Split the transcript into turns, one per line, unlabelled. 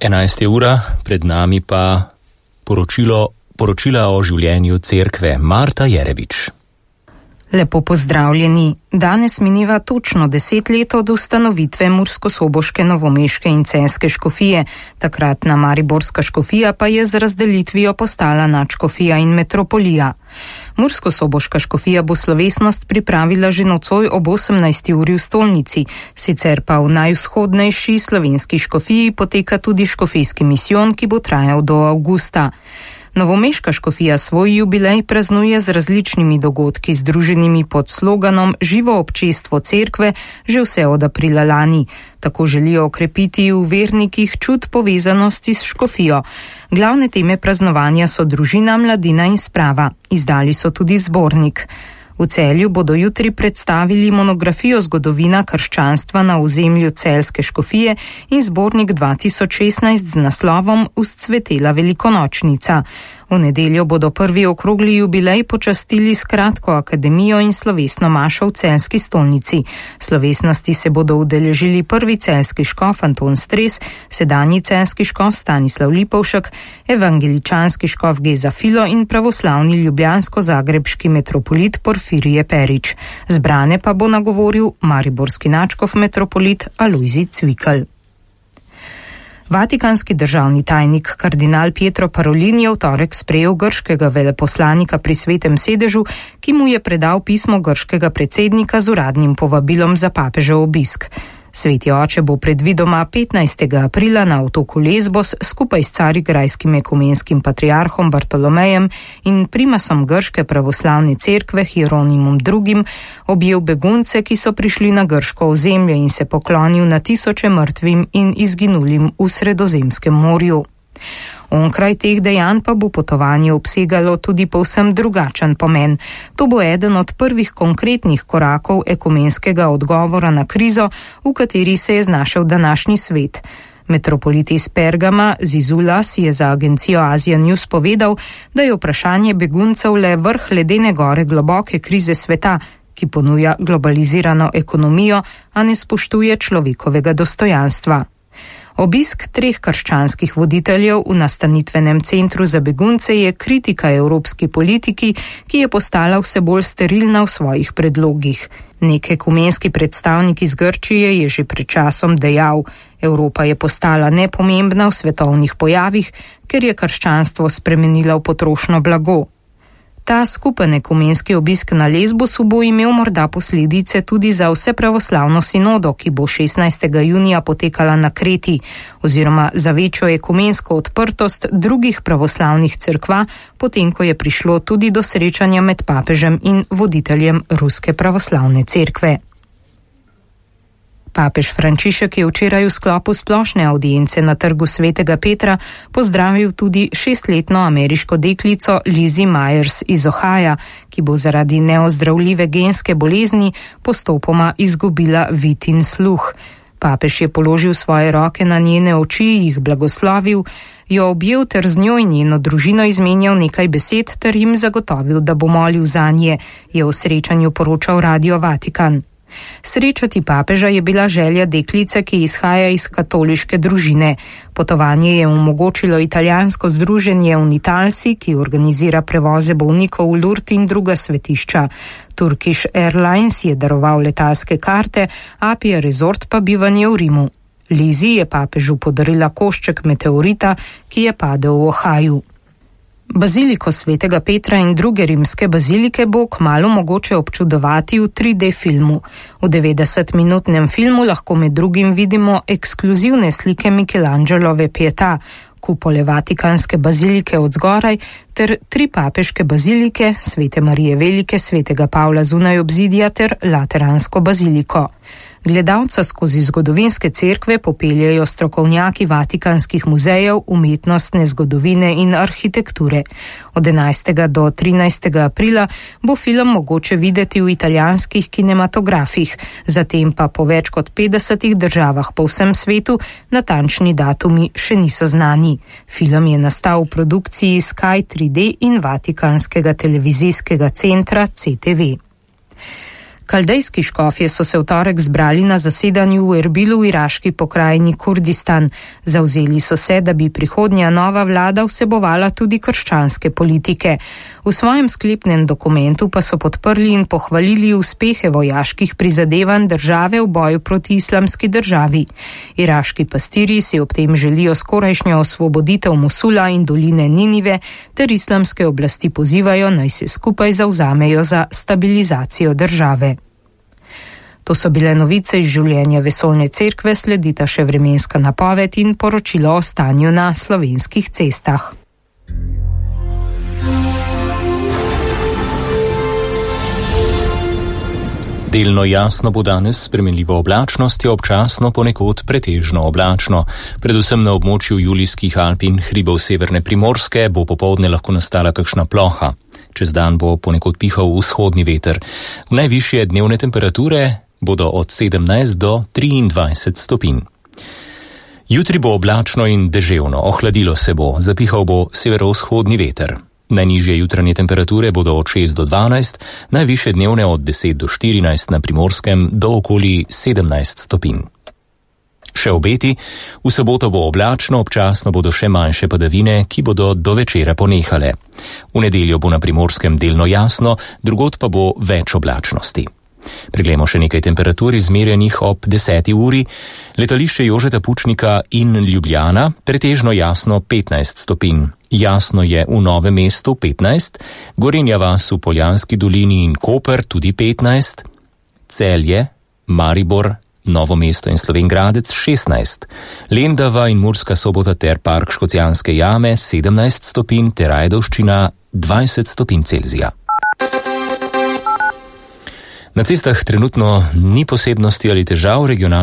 11. ura, pred nami pa poročila o življenju cerkve. Marta Jerevič.
Lepo pozdravljeni. Danes mineva točno 10 let od ustanovitve murskosoboške, novomeške in celjske škofije. Takratna mariborska škofija pa je z razdelitvijo postala nadškofija in metropolija. Murskosoboška škofija bo slovesnost pripravila že nocoj ob 18. uri v stolnici, sicer pa v najvzhodnejši slovenski škofiji poteka tudi škofijski misijon, ki bo trajal do avgusta. Novomeška škofija svoj jubilej praznuje z različnimi dogodki, združenimi pod sloganom Živo občestvo cerkve že vse od aprila lani. Tako želijo okrepiti v vernikih čut povezanosti s škofijo. Glavne teme praznovanja so družina, mladina in sprava. Izdali so tudi zbornik. V Celju bodo jutri predstavili monografijo Zgodovina krščanstva na ozemlju celjske škofije in zbornik 2016 z naslovom Vzcvetela velikonočnica. V nedeljo bodo prvi okrogli jubilej počastili s kratko akademijo in slovesno mašo v celjski stolnici. Slovesnosti se bodo udeležili prvi celjski škof Anton Stres, sedanji celjski škof Stanislav Lipovšek, evangeličanski škof Geza Filo in pravoslavni ljubljansko-zagrebški metropolit Porfirije Perič. Zbrane pa bo nagovoril mariborski nadškof metropolit Alojzij Cvikl. Vatikanski državni tajnik kardinal Pietro Parolin je v torek sprejel grškega veleposlanika pri Svetem sedežu, ki mu je predal pismo grškega predsednika z uradnim povabilom za papežev obisk. Sveti oče bo predvidoma 15. aprila na otoku Lesbos skupaj s carigrajskim ekumenskim patriarhom Bartolomejem in primasom grške pravoslavne cerkve Hieronimom II. Objel begunce, ki so prišli na grško ozemlje, in se poklonil na tisoče mrtvim in izginulim v Sredozemskem morju. Onkraj teh dejanj pa bo potovanje obsegalo tudi povsem drugačen pomen. To bo eden od prvih konkretnih korakov ekumenskega odgovora na krizo, v kateri se je znašel današnji svet. Metropolit iz Pergama Zizulas je za agencijo Asia News povedal, da je vprašanje beguncev le vrh ledene gore globoke krize sveta, ki ponuja globalizirano ekonomijo, a ne spoštuje človekovega dostojanstva. Obisk 3 krščanskih voditeljev v nastanitvenem centru za begunce je kritika evropski politiki, ki je postala vse bolj sterilna v svojih predlogih. Nek ekumenski predstavnik iz Grčije je že pred časom dejal: Evropa je postala nepomembna v svetovnih pojavih, ker je krščanstvo spremenila v potrošno blago. Ta skupen ekumenski obisk na Lesbosu bo imel morda posledice tudi za vse pravoslavno sinodo, ki bo 16. junija potekala na Kreti, oziroma za večjo ekumensko odprtost drugih pravoslavnih cerkva, potem ko je prišlo tudi do srečanja med papežem in voditeljem Ruske pravoslavne cerkve. Papež Frančišek je včeraj v sklopu splošne audience na trgu Svetega Petra pozdravil tudi 6-letno ameriško deklico Lizzie Myers iz Ohaja, ki bo zaradi neozdravljive genske bolezni postopoma izgubila vid in sluh. Papež je položil svoje roke na njene oči, jih blagoslovil, jo objel ter z njo in njeno družino izmenjal nekaj besed ter jim zagotovil, da bo molil zanje, je v srečanju poročal Radio Vatikan. Srečati papeža je bila želja deklice, ki izhaja iz katoliške družine. Potovanje je omogočilo italijansko združenje Unitalsi, ki organizira prevoze bolnikov v Lourdes in druga svetišča. Turkish Airlines je daroval letalske karte, Apia Resort pa bivanje v Rimu. Lizzie je papežu podarila košček meteorita, ki je padel v Ohaju. Baziliko Svetega Petra in druge rimske bazilike bo kmalu mogoče občudovati v 3D filmu. V 90-minutnem filmu lahko med drugim vidimo ekskluzivne slike Michelangelove Pietà, kupole Vatikanske bazilike od zgoraj ter 3 papeške bazilike, Svete Marije Velike, Svetega Pavla zunaj obzidja ter Lateransko baziliko. Gledalca skozi zgodovinske cerkve popeljejo strokovnjaki vatikanskih muzejev, umetnostne zgodovine in arhitekture. Od 11. do 13. aprila bo film mogoče videti v italijanskih kinematografih, zatem pa po več kot 50 državah po vsem svetu, natančni datumi še niso znani. Film je nastal v produkciji Sky 3D in Vatikanskega televizijskega centra CTV. Kaldejski škofje so se v torek zbrali na zasedanju v Erbilu v iraški pokrajini Kurdistan. Zavzeli so se, da bi prihodnja nova vlada vsebovala tudi krščanske politike. V svojem sklepnem dokumentu pa so podprli in pohvalili uspehe vojaških prizadevanj države v boju proti islamski državi. Iraški pastirji si ob tem želijo skorajšnjo osvoboditev Mosula in doline Ninive ter islamske oblasti pozivajo, naj se skupaj zavzamejo za stabilizacijo države. To so bile novice iz življenja Vesoljne cerkve, sledita še vremenska napoved in poročilo o stanju na slovenskih cestah.
Delno jasno bo danes s spremenljivo oblačnostjo, občasno ponekod pretežno oblačno. Predvsem na območju Julijskih Alp in hribov severne Primorske bo popoldne lahko nastala kakšna ploha. Čez dan bo ponekod pihal vzhodni veter. Najvišje dnevne temperature bodo od 17 do 23 stopinj. Jutri bo oblačno in deževno, ohladilo se bo, zapihal bo severovzhodni veter. Najnižje jutranje temperature bodo od 6 do 12, najvišje dnevne od 10 do 14 na Primorskem do okoli 17 stopinj. Še obeti, v soboto bo oblačno, občasno bodo še manjše padavine, ki bodo do večera ponehale. V nedeljo bo na Primorskem delno jasno, drugod pa bo več oblačnosti. Preglejmo še nekaj temperatur izmerjenih ob 10. uri. Letališče Jožeta Pučnika in Ljubljana, pretežno jasno 15 stopinj. Jasno je v Novem mestu 15, Gorenja vas v Poljanski dolini in Koper tudi 15, Celje, Maribor, Novo mesto in Slovenj Gradec 16, Lendava in Murska Sobota ter Park Škocjanske jame 17 stopinj ter Ajdovščina 20 stopinj Celzija. Na cestah trenutno ni posebnosti ali težav, regionalne